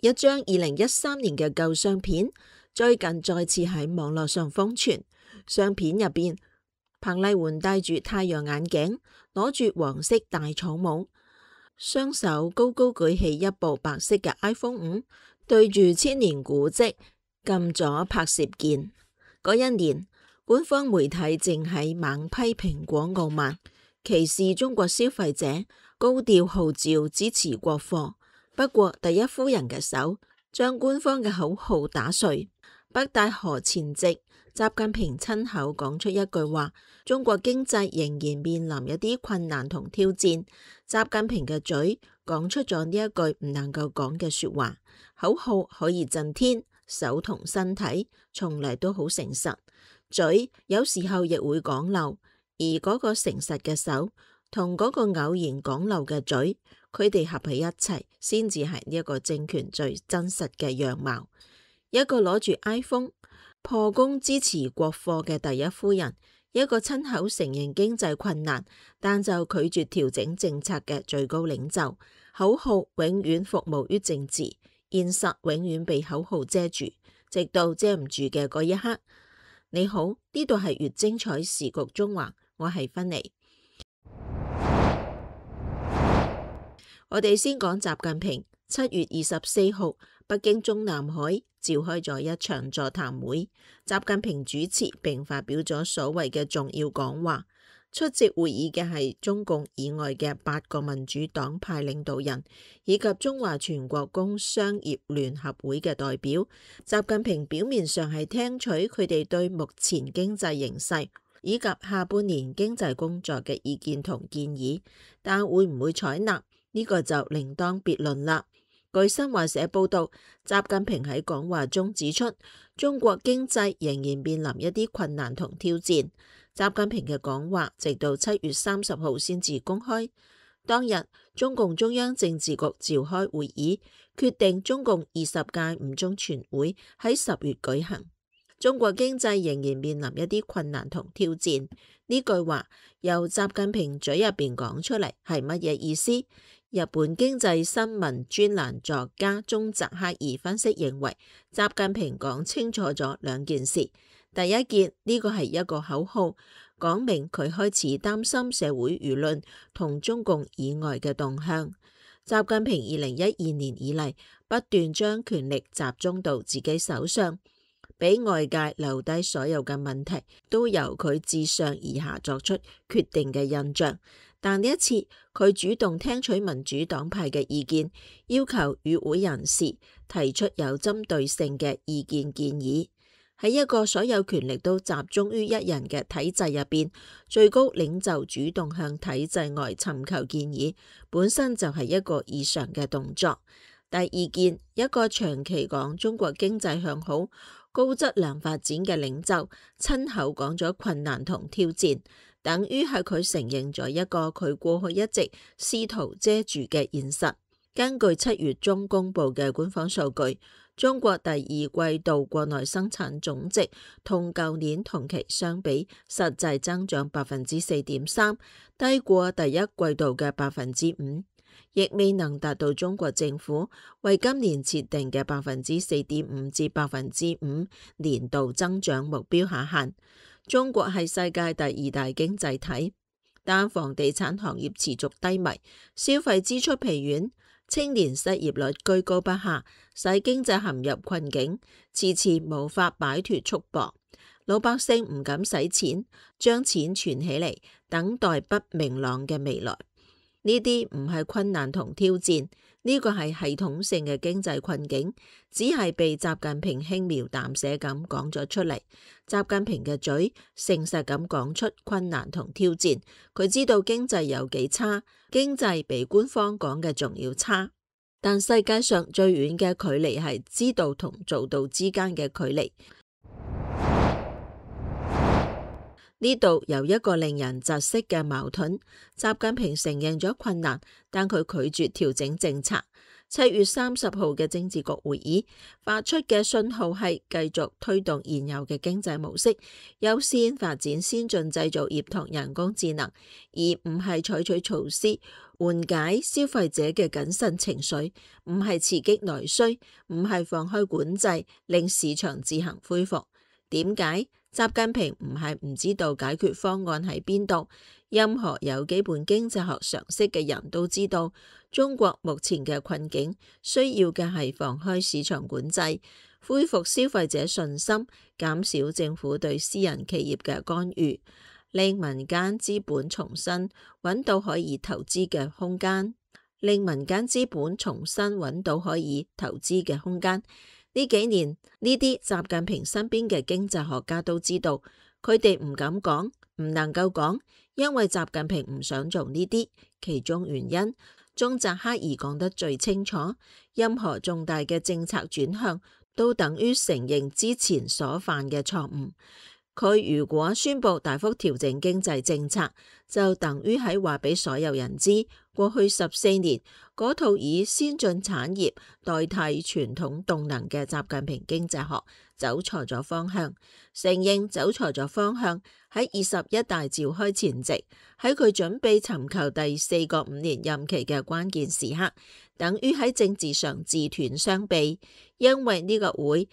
一張2013年嘅舊相片，最近再次喺網絡上瘋傳。相片入邊，彭麗媛戴住太陽眼鏡，攞住黃色大草帽，雙手高高舉起一部白色嘅 iPhone 5，對住千年古蹟撳咗拍攝鍵。嗰一年，官方媒體正喺猛批蘋果傲慢，歧視中國消費者，高調號召支持國貨。不過第一夫人嘅手將官方嘅口號打碎。北戴河前夕，習近平親口講出一句話：中國經濟仍然面臨一啲困難同挑戰。習近平嘅嘴講出咗呢一句唔能夠講嘅說話。口號可以震天，手同身體從嚟都好誠實，嘴有時候亦會講漏，而嗰個誠實嘅手同嗰個偶然講漏嘅嘴，佢哋合喺一齊，先至係呢一個政權最真實嘅樣貌。一個攞住 iPhone 破功支持國貨嘅第一夫人，一個親口承認經濟困難但就拒絕調整政策嘅最高領袖。口號永遠服務於政治，現實永遠被口號遮住，直到遮唔住嘅嗰一刻。你好，呢度係粵精彩時局中環，我係芬妮。我哋先講習近平。7月24號，北京中南海召開咗一場座談會，習近平主持並發表咗所謂嘅重要講話。出席會議嘅係中共以外嘅8個民主黨派領導人，以及中華全國工商業聯合會嘅代表。習近平表面上係聽取佢哋對目前經濟形勢以及下半年經濟工作嘅意見同建議，但會唔會採納呢個就另當別論啦。據新華社報道，習近平喺講話中指出，中國經濟仍然面臨一啲困難同挑戰。習近平嘅講話直到7月30號先至公開。當日，中共中央政治局召開會議，決定中共20屆五中全會喺10月舉行。中國經濟仍然面臨一啲困難同挑戰。呢句話由習近平嘴入邊講出嚟係乜嘢意思？日本經濟新聞專欄作家中澤克二分析認為，習近平講清楚咗兩件事。第一件，呢個係一個口號，講明佢開始擔心社會輿論同中共以外嘅動向。習近平2012年以嚟不斷將權力集中到自己手上，俾外界留低所有嘅問題都由佢自上而下作出決定嘅印象。但呢一次，佢主動聽取民主黨派嘅意見，要求與會人士提出有針對性嘅意見建議。喺一個所有權力都集中於一人嘅體制入邊，最高領袖主動向體制外尋求建議，本身就係一個異常嘅動作。第二件，一個長期講中國經濟向好、高質量發展嘅領袖，親口講咗困難同挑戰。等於係佢承認咗一個佢過去一直試圖遮住嘅現實。根據7月中公布嘅官方數據，中國第二季度國內生產總值同舊年同期相比，實際增長4.3%，低過第一季度嘅5%，亦未能達到中國政府為今年設定嘅4.5%至5%年度增長目標下限。中國係世界第2大經濟體，但房地產行業持續低迷，消費支出疲軟，青年失業率居高不下，使經濟陷入困境，遲遲無法擺脫束縛。老百姓唔敢使錢，將錢存起嚟，等待不明朗嘅未來。呢啲唔係困難同挑戰，呢個係系統性嘅經濟困境，只係被習近平輕描淡寫咁講咗出嚟。習近平嘅嘴誠實咁講出困難同挑戰，佢知道經濟有幾差，經濟比官方講嘅仲要差。但世界上最遠嘅距離係知道同做到之間嘅距離。呢度有一個令人窒息嘅矛盾，習近平承認咗困難，但佢拒絕調整政策。7月30號嘅政治局會議發出嘅信號係繼續推動現有嘅經濟模式，優先發展先進製造業同人工智能，而唔係採取措施緩解消費者嘅謹慎情緒，唔係刺激內需，唔係放開管制令市場自行恢復。點解？習近平唔係唔知道解決方案喺邊度，任何有基本經濟學常識嘅人都知道，中國目前嘅困境需要嘅係放開市場管制，恢復消費者信心，減少政府對私人企業嘅干預，令民間資本重新揾到可以投資嘅空間，呢幾年呢啲習近平身邊嘅經濟學家都知道，佢哋唔敢講，唔能夠講，因為習近平唔想做呢啲。其中原因，中澤克二講得最清楚，任何重大嘅政策轉向都等於承認之前所犯嘅錯誤。佢如果宣布大幅調整經濟政策，就等於喺話俾所有人知，過去14年嗰套以先進產業代替傳統動能嘅習近平經濟學走錯咗方向。承認走錯咗方向，喺21大召開前夕，喺佢準備尋求第4個5年任期嘅關鍵時刻，等於喺政治上自斷雙臂，因為呢個會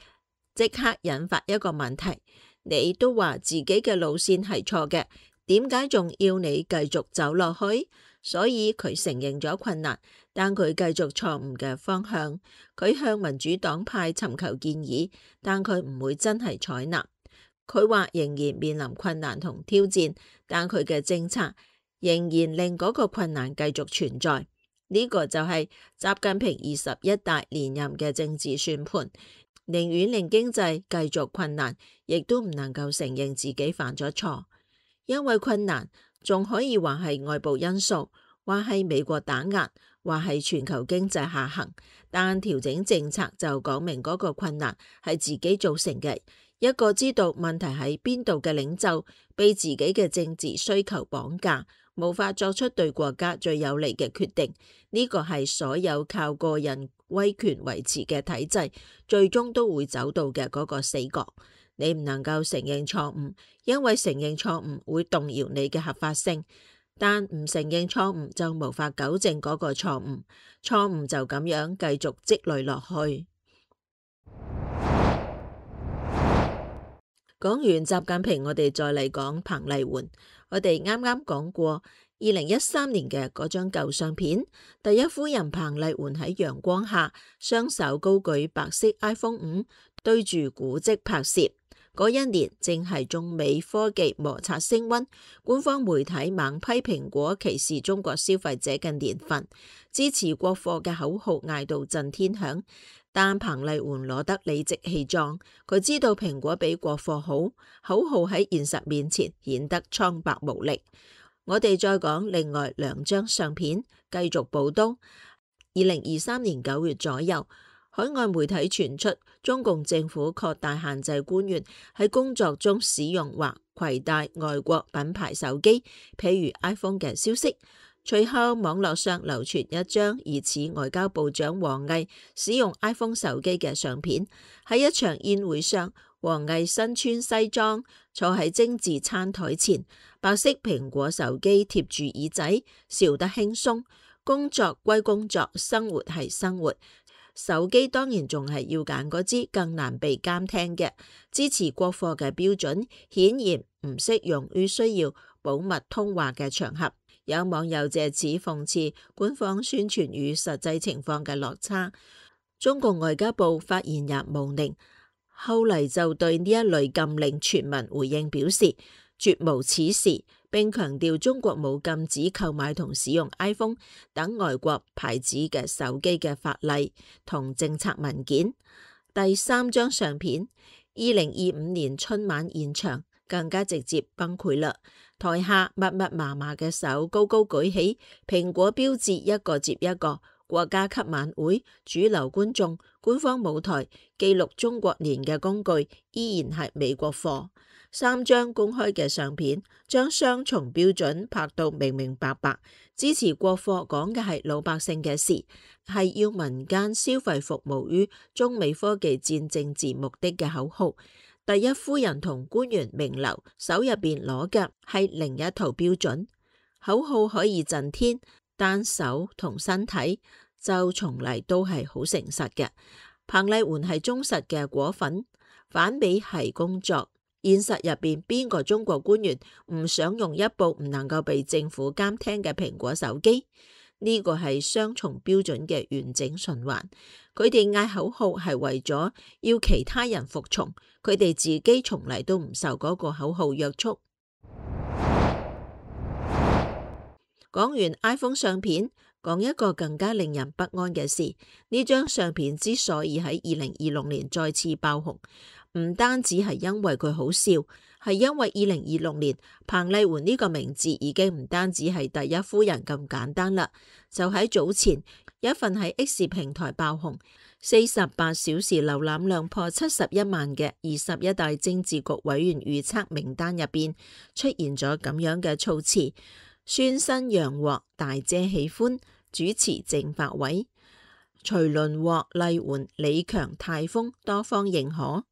即刻引發一個問題。你都話自己嘅路線係錯嘅，點解仲要你繼續走落去？所以佢承認咗困難，但佢繼續錯誤嘅方向。佢向民主黨派尋求建議，但佢唔會真係採納。佢話仍然面臨困難同挑戰，但佢嘅政策仍然令嗰個困難繼續存在。呢個就係習近平21大連任嘅政治算盤。寧願令經濟繼續困難，亦都唔能夠承認自己犯咗錯，因為困難仲可以話係外部因素，話係美國打壓，話係全球經濟下行，但調整政策就講明嗰個困難係自己造成嘅。一個知道問題喺邊度嘅領袖，被自己嘅政治需求綁架，無法作出對國家最有利嘅決定。呢個係所有靠個人威權維持嘅體制，最終都會走到嘅嗰個死角。你唔能夠承認錯誤，因為承認錯誤會動搖你嘅合法性，但唔承認錯誤就無法糾正嗰個錯誤，錯誤就咁樣繼續積累落去。講完習近平，我哋再嚟講彭麗媛。我哋啱啱講過2013年嘅嗰張舊相片，第一夫人彭麗媛喺陽光下，雙手高舉白色 iPhone 5，對住古蹟拍攝。嗰一年正係中美科技摩擦升溫，官方媒體猛批蘋果歧視中國消費者嘅年份，支持國貨嘅口號嗌到震天響。但彭麗媛攞得理直氣壯，佢知道蘋果比國貨好，口號喺現實面前顯得蒼白無力。我哋再講另外2張相片，繼續補刀。2023年9月左右，海外媒體傳出中共政府擴大限制官員喺工作中使用或攜帶外國品牌手機，譬如 iPhone 嘅消息。隨後網絡上流傳一張疑似外交部長王毅使用 iPhone 手機嘅相片。喺一場宴會上，王毅身穿西裝，坐喺精緻餐台前，白色蘋果手機貼住耳仔，笑得輕鬆。工作歸工作，生活係生活。手機當然仲係要揀嗰支更難被監聽嘅。支持國貨嘅標準顯然唔適用於需要保密通話嘅場合。有網友借此諷刺官方宣傳與實際情況嘅落差。中共外交部發言人毛寧後嚟就對呢一類禁令傳聞回應表示，絕無此事，並強調中國冇禁止購買同使用 iPhone 等外國牌子嘅手機嘅法例同政策文件。第3張相片，2025年春晚現場更加直接崩潰啦！台下密密麻麻嘅手高高舉起，蘋果標誌一個接一個，國家級晚會、主流觀眾、官方舞台、記錄中國年嘅工具依然係美國貨。3張公開嘅相片將雙重標準拍到明明白白。支持國貨講嘅係老百姓嘅事，係要民間消費服務於中美科技戰政治目的嘅口號。第一夫人同官員名流手入邊攞嘅係另一套標準。口號可以震天，但手同身體就從嚟都係好誠實嘅。彭麗媛係忠實嘅果粉，反比係工作。現實入邊邊個中國官員唔想用一部唔能夠被政府監聽嘅蘋果手機？呢個係雙重標準嘅完整循環。佢哋嗌口號係為咗要其他人服從，佢哋自己從嚟都唔受嗰個口號約束。講完 iPhone 相片，講一個更加令人不安嘅事。呢張相片之所以喺2026年再次爆紅，唔單止係因為佢好笑，係因為2026年彭麗媛呢個名字已經唔單止係第一夫人咁簡單啦。就喺早前，一份喺 X 平台爆紅48小時瀏覽量破71萬嘅21大政治局委員預測名單入邊，出現咗咁樣嘅措辭：孫新陽獲大姐喜歡，主持政法委；徐麟獲麗媛、李強、泰豐多方認可。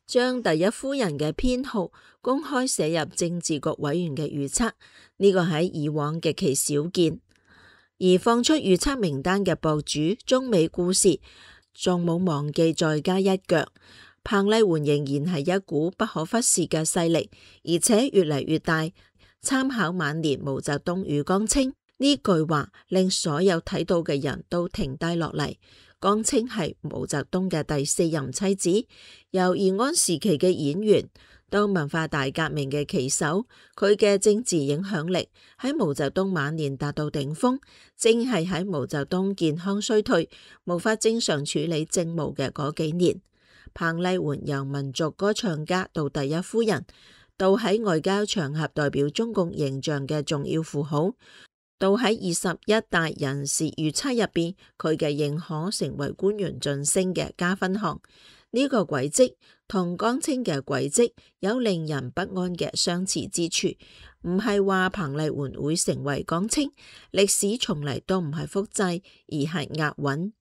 將第一夫人嘅編號公開寫入政治局委員嘅預測，呢個喺以往極其少見。而放出預測名單嘅博主中美故事仲冇忘記再加一腳，彭麗媛仍然係一股不可忽視嘅勢力，而且越嚟越大。參考晚年毛澤東與江青，呢句話令所有睇到嘅人都停低落嚟。江青係毛澤東嘅第4任妻子，由延安時期嘅演員到文化大革命嘅旗手，佢嘅政治影響力喺毛澤東晚年達到頂峰，正係喺毛澤東健康衰退、無法正常處理政務嘅嗰幾年。彭麗媛由民族歌唱家到第一夫人，到喺外交場合代表中共形象嘅重要符號，到喺21大人事預測入邊，佢嘅認可成為官員晉升嘅加分項。呢個軌跡同江青嘅軌跡有令人不安嘅相似之處，唔係話彭麗媛會成為江青，歷史從嚟都唔係複製，而係押韻。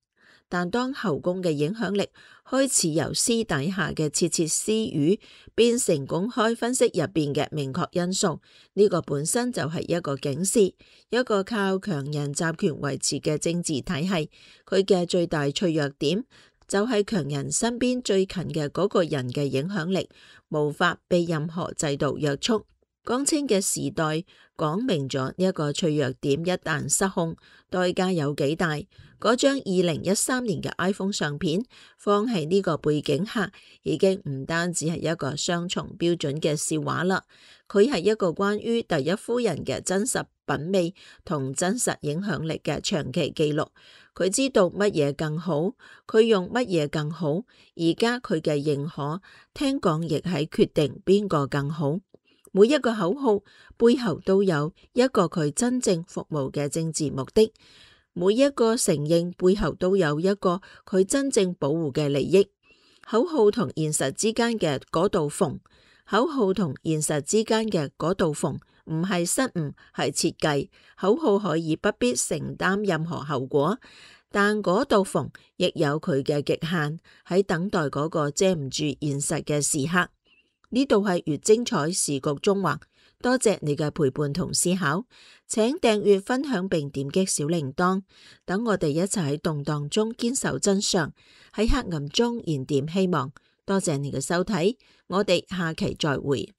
但當後宮嘅影響力開始由私底下嘅竊竊私語變成公開分析入邊嘅明確因素，呢個本身就係一個警示。一個靠強人集權維持嘅政治體系，佢嘅最大脆弱點就係強人身邊最近嘅嗰個人嘅影響力無法被任何制度約束。江青嘅時代講明咗呢一個脆弱點一旦失控，代價有幾大。嗰張2013年嘅 iPhone 相片放喺呢個背景下，已經唔單止係一個雙重標準嘅笑話啦，佢係一個關於第一夫人嘅真實品味同真實影響力嘅長期記錄。佢知道乜嘢更好，佢用乜嘢更好，而家佢嘅認可聽講亦係決定邊個更好。每一個口號背後都有一個佢真正服務嘅政治目的，每一個承認背後都有一個佢真正保護嘅利益。口號同現實之間嘅嗰道縫，口號同現實之間嘅嗰道縫唔係失誤，係設計。口號可以不必承擔任何後果，但嗰道縫亦有佢嘅極限，喺等待嗰個遮唔住現實嘅時刻。呢度係越精彩時局中環，多謝你嘅陪伴同思考，請訂閱分享並點擊小鈴鐺，等我哋一齊喺動盪中堅守真相，喺黑暗中燃點希望。多謝你嘅收睇，我哋下期再會。